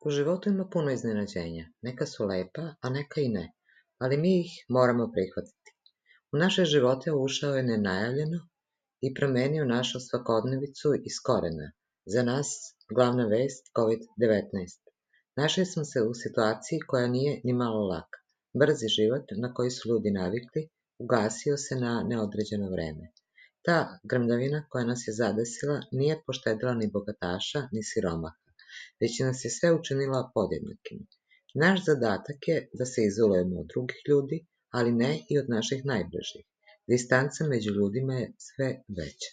U životu ima puno iznenađenja, neka su lepa, a neka i ne, ali mi ih moramo prihvatiti. U naše živote ušao je nenajavljeno i promenio našu svakodnevicu iz korena. Za nas glavna vest COVID-19. Našli smo se u situaciji koja nije ni malo laka. Brzi život na koji su ljudi navikli ugasio se na neodređeno vreme. Ta grmljavina koja nas je zadesila nije poštedila ni bogataša, ni siromaha, već nas je sve učinila podjednakim. Naš zadatak je da se izolujemo od drugih ljudi, ali ne i od naših najbližih. Distanca među ljudima je sve veća.